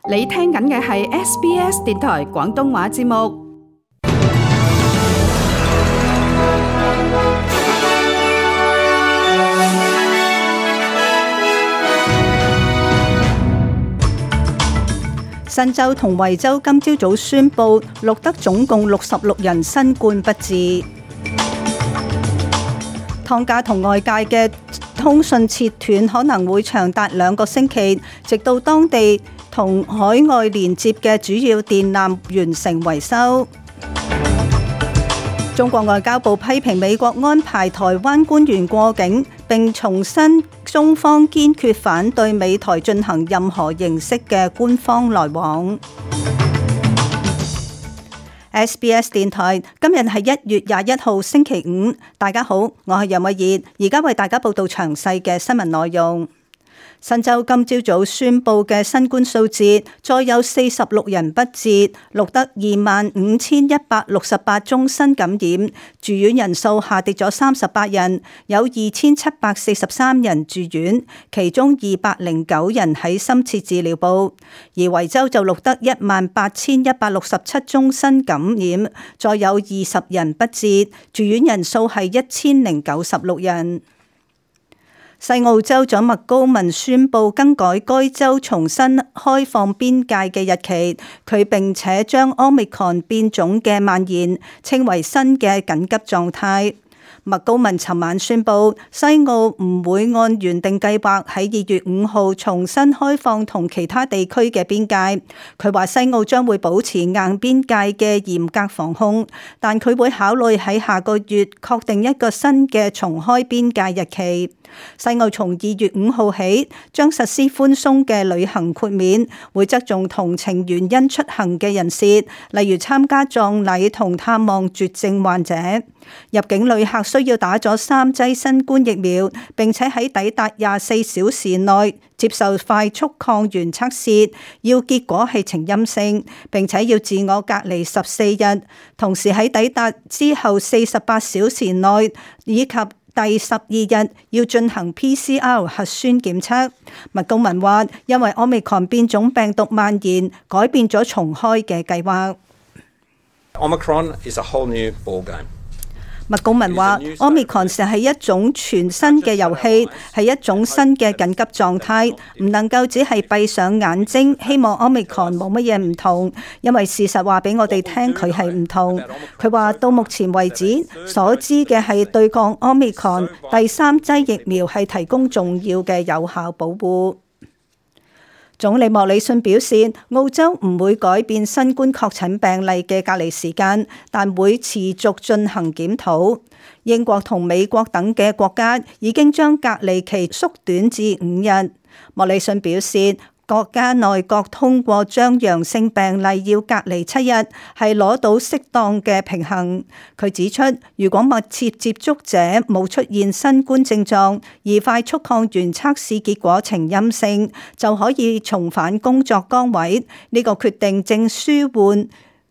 你聽緊嘅係 SBS 電台廣東話節目。新州同維州今朝早宣布錄得總共66人新冠不治。湯加同外界嘅通訊切斷可能會長達2個星期，直到當地同海外連接嘅主要電纜完成維修。中國外交部批評美國安排台灣官員過境，並重申中方堅決反對美台進行任何形式嘅官方來往。SBS 電台今日係1月21號星期五，大家好，我係楊慧儀，而家為大家報道詳細嘅新聞內容。新州今朝早宣布嘅新冠數字再有46人不治，錄得25,168宗新感染，住院人數下跌咗38人，有2,743人住院，其中209人喺深切治療部。而維州就錄得18,167宗新感染，再有20人不治，住院人數係1,096人。西澳州長麥高文宣布更改該州重新開放邊界嘅日期，佢並且將 Omicron 變種嘅蔓延稱為新嘅緊急狀態。麥高文尋晚宣布，西澳唔會按原定計劃喺2月5號重新開放同其他地區嘅邊界。佢話西澳將會保持硬邊界嘅嚴格防控，但佢會考慮喺下個月確定一個新嘅重開邊界日期。西澳從2月5號起將實施寬鬆嘅旅行豁免，會側重同情原因出行嘅人士，例如參加葬禮同探望絕症患者。入境旅客需要打咗3劑新冠疫苗，並且喺抵達24小時內接受快速抗原測試，要結果係呈陰性，並且要自我隔離14日，同時喺抵達之後48小時內以及第12日要進行 PCR 核酸檢測。麥高文話，因為 Omicron 變種病毒蔓延，改變咗重開嘅計劃。Omicron is a whole new ball game. 麥高文話 Omicron 係一種全新嘅遊戲，係一種新嘅緊急狀態，唔能夠只係閉上眼睛，希望 Omicron 冇乜嘢唔同，因為事實話俾我哋聽佢係唔同。佢話到目前為止所知嘅係對抗 Omicron 第3劑疫苗係提供重要嘅有效保護。總理莫里遜表示，澳洲唔會改變新冠確診病例嘅隔離時間，但會持續進行檢討。英國同美國等嘅國家已經將隔離期縮短至5日。莫里遜表示，國家內閣通過將陽性病例要隔離7日，係攞到適當嘅平衡。佢指出，如果密切接觸者冇出現新冠症狀，而快速抗原測試結果呈陰性，就可以重返工作崗位。呢個決定正舒緩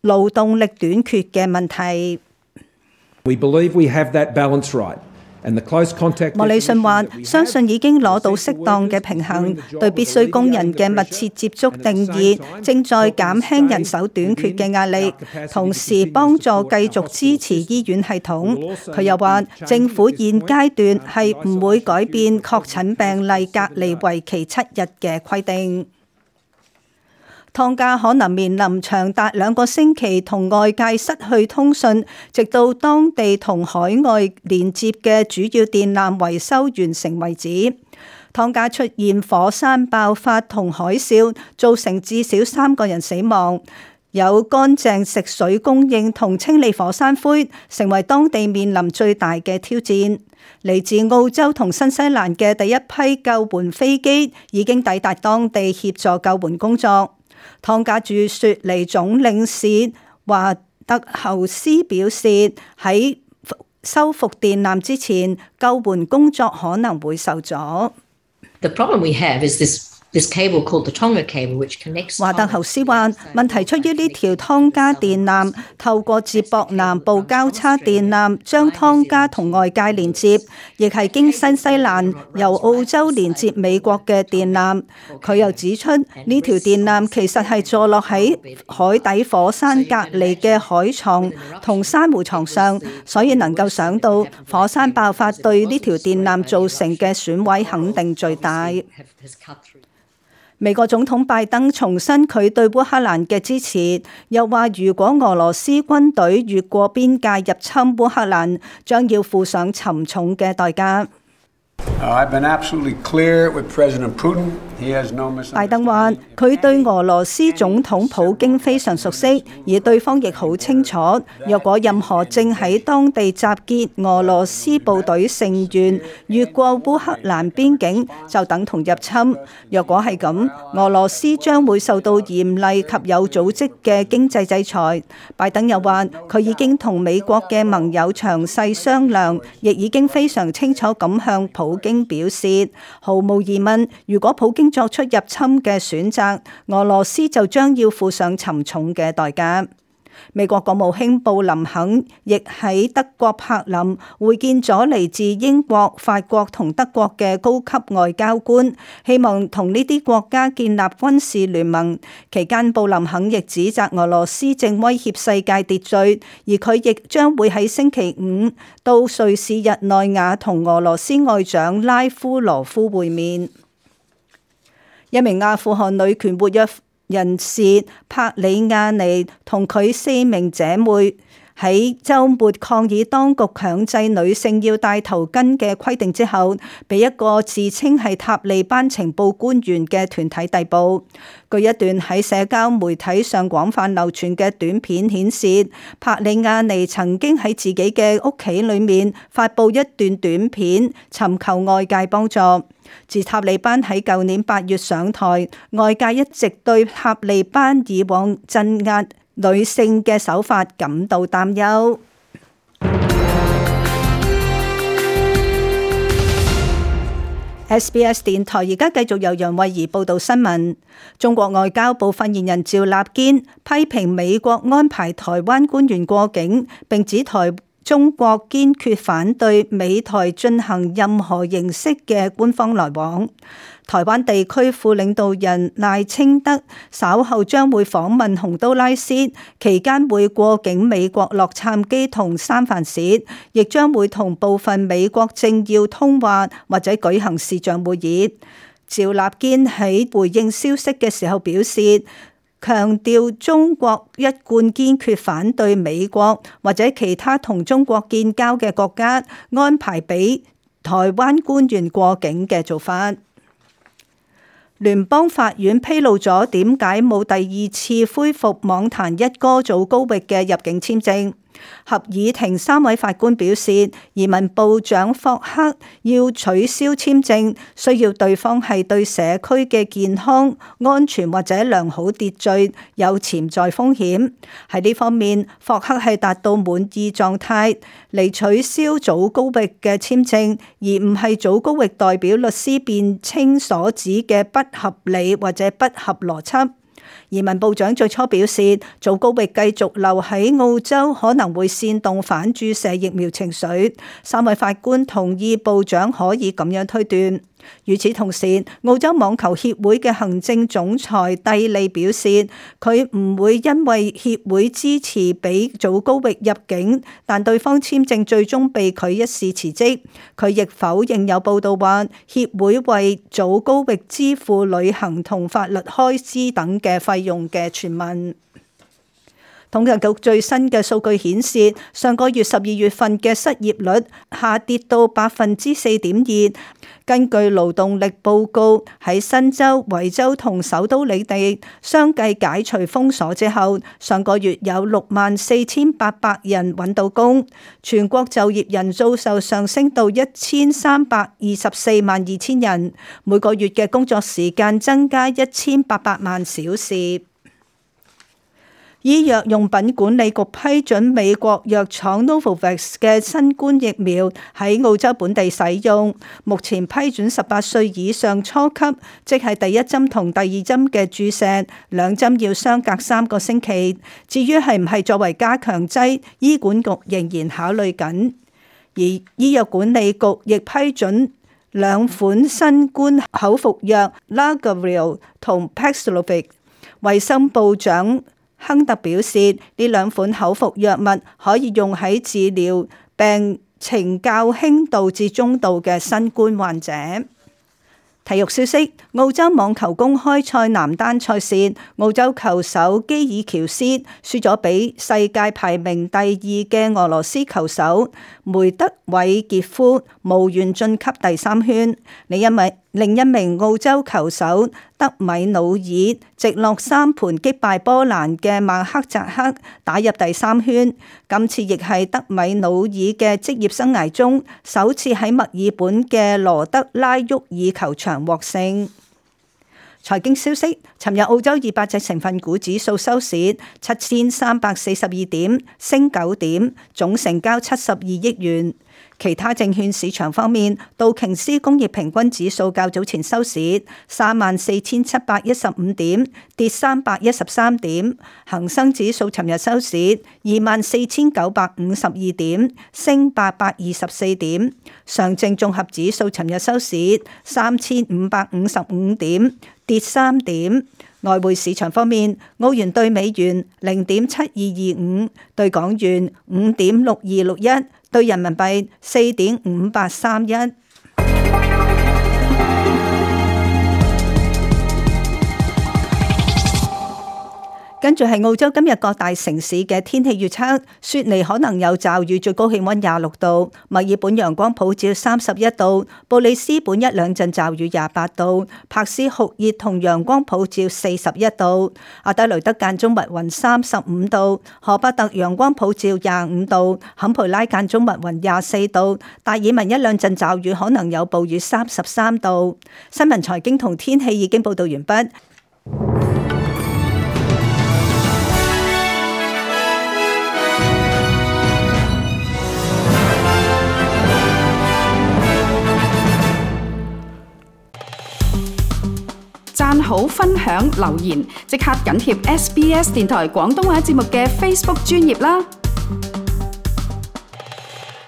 勞動力短缺嘅問題。We believe we have that balance right. 莫里遜話：相信已經攞到適當嘅平衡，對必須工人嘅密切接觸定義正在減輕人手短缺嘅壓力，同時幫助繼續支持醫院系統。佢又話：政府現階段係唔會改變確診病例隔離為期7日嘅規定。湯加可能面臨長達2個星期同外界失去通訊，直到當地同海外連接嘅主要電纜維修完成為止。湯加出現火山爆發同海嘯，造成至少3個人死亡。有乾淨食水供應同清理火山灰，成為當地面臨最大嘅挑戰。嚟自澳洲同新西蘭嘅第一批救援飛機已經抵達當地協助救援工作。湯加駐雪梨總領事華特侯斯表示，喺修復電纜之前，救援工作可能會受阻。The problem we have is this 華特侯斯話：問題出於呢條湯加電纜透過接駁南部交叉電纜將湯加同外界連接，亦係經新西蘭由澳洲連接美國嘅電纜。佢又指出，呢條電纜其實係坐落喺海底火山隔離嘅海床同珊瑚床上，所以能夠想到火山爆發對呢條電纜造成嘅損毀肯定最大。美國總統拜登重申佢對烏克蘭嘅支持，又話如果俄羅斯軍隊越過邊界入侵烏克蘭，將要付上沉重嘅代價。拜登話：佢對俄羅斯總統普京非常熟悉，而對方亦好清楚，若果任何正喺當地集結俄羅斯部隊成員越過烏克蘭邊境，就等同入侵。若果係咁，俄羅斯將會受到嚴厲及有組織嘅經濟制裁。拜登又話：佢已經同美國嘅盟友詳細商量，亦已經非常清楚咁向普京表示，毫無疑問，如果普京作出入侵嘅選擇，俄羅斯就將要付上沉重嘅代價。美國國務卿布林肯亦喺德國柏林會見咗嚟自英國、法國同德國嘅高級外交官，希望同呢啲國家建立軍事聯盟。期間，布林肯亦指責俄羅斯正威脅世界秩序，而佢亦將會喺星期五到瑞士日內瓦同俄羅斯外長拉夫羅夫會面。一名阿富汗女權活躍人士帕里亞尼同佢4名姐妹喺週末抗議當局強制女性要戴頭巾嘅規定之後，被一個自稱係塔利班情報官員嘅團體逮捕。據一段喺社交媒體上廣泛流傳嘅短片顯示，帕里亞尼曾經喺自己嘅屋企裏面發布一段短片，尋求外界幫助。自塔利班喺舊年8月上台，外界一直對塔利班以往鎮壓女性嘅手法感到擔憂。SBS 電台而家繼續由楊慧儀報道新聞。中國外交部發言人趙立堅批評美國安排台灣官員過境，並指中國堅決反對美台進行任何形式嘅官方來往。台灣地區副領導人賴清德稍後將會訪問洪都拉斯，期間會過境美國洛杉磯同三藩市，亦將會同部分美國政要通話或者舉行視像會議。趙立堅喺回應消息嘅時候表示，強調中國一貫堅決反對美國或者其他同中國建交嘅國家安排俾台灣官員過境嘅做法。聯邦法院披露咗點解冇第二次恢復網壇一哥祖高域嘅入境簽證。合議庭3位法官表示，移民部長霍克要取消簽證，需要對方係對社區嘅健康、安全或者良好秩序有潛在風險。喺呢方面，霍克係達到滿意狀態嚟取消祖高域嘅簽證，而唔係祖高域代表律師辯稱所指嘅不合理或者不合邏輯。移民部長最初表示，祖高域繼續留喺澳洲可能會煽動反注射疫苗情緒。3位法官同意部長可以咁樣推斷。與此同時，澳洲網球協會嘅行政總裁蒂利表示，佢唔會因為協會支持俾祖高域入境，但對方簽證最終被拒一事辭職。佢亦否認有報道話協會為祖高域支付旅行同法律開支等嘅費用嘅傳聞。統計局最新嘅數據顯示，上個月12月份嘅失業率下跌到4.2%。根據勞動力報告，喺新州、維州同首都領地相繼解除封鎖之後，上個月有64,800人揾到工，全國就業人數就上升到1,324.2萬人，每個月嘅工作時間增加1,800萬小時。醫藥用品管理局批准美國藥廠 Novavax 嘅新冠疫苗喺澳洲本地使用，目前批准18歲以上初級，即係第一針同第二針嘅注射，兩針要相隔3個星期。至於係唔係作為加強劑，醫管局仍然考慮緊。而醫藥管理局亦批准2款新冠口服藥 Largavir 同 Paxlovid。衛生部長亨特表示，呢2款口服藥物可以用喺治療病情較輕度至中度嘅新冠患者。體育消息：澳洲網球公開賽男單賽事，澳洲球手基爾喬斯輸咗俾世界排名第2嘅俄羅斯球手梅德韋傑夫，無緣晉級第3圈。另一名澳洲球手德米努爾直落3盤擊敗波蘭嘅馬克扎克，打入第3圈。今次亦係德米努爾嘅職業生涯中首次喺墨爾本嘅羅德拉沃爾球場獲勝。財經消息：尋日澳洲200隻成分股指數收市7342點，升9點，總成交72億元。其他證券市場方面，道瓊斯工業平均指數較早前收市34715點，跌313點；恒生指數尋日收市24952點，升824點；上證綜合指數尋日收市3555點，跌3點。外匯市場方面，澳元兌美元0.7225，兌港元5.6261，兌人民幣4.5831。跟住係澳洲今日各大城市嘅天氣預測：雪梨可能有驟雨，最高氣溫26度；墨爾本陽光普照31度；布里斯本1兩陣驟雨28度；柏斯酷熱同陽光普照41度；阿德雷德間中密雲35度；荷伯特陽光普照25度；坎培拉間中密雲24度；達爾文1兩陣驟雨，可能有暴雨33度。新聞財經同天氣已經報道完畢。讚好、分享、留言，即刻緊貼SBS 電台廣東話節目嘅 Facebook 專頁啦！